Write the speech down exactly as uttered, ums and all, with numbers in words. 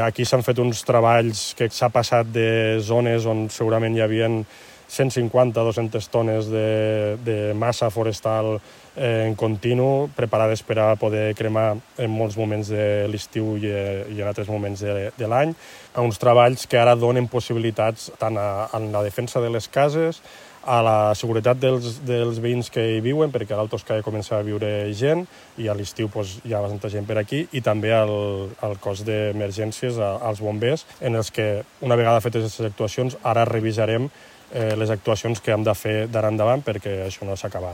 Aquí s'han fet uns treballs que s'ha passat de zones on segurament hi havia cent cinquanta a dues-centes tones de, de massa forestal en continu, preparades per a poder cremar en molts moments de l'estiu i, i en altres moments de, de l'any, a uns treballs que ara donen possibilitats tant a, a la defensa de les cases, a la seguretat dels, dels veïns que hi viuen, perquè a l'Altoscaya comença a viure gent i a l'estiu doncs, hi ha bastanta gent per aquí, i també al, al cos d'emergències, als bombers, en els que, una vegada fetes aquestes actuacions, ara revisarem eh, les actuacions que hem de fer d'ara endavant perquè això no s'ha acabat.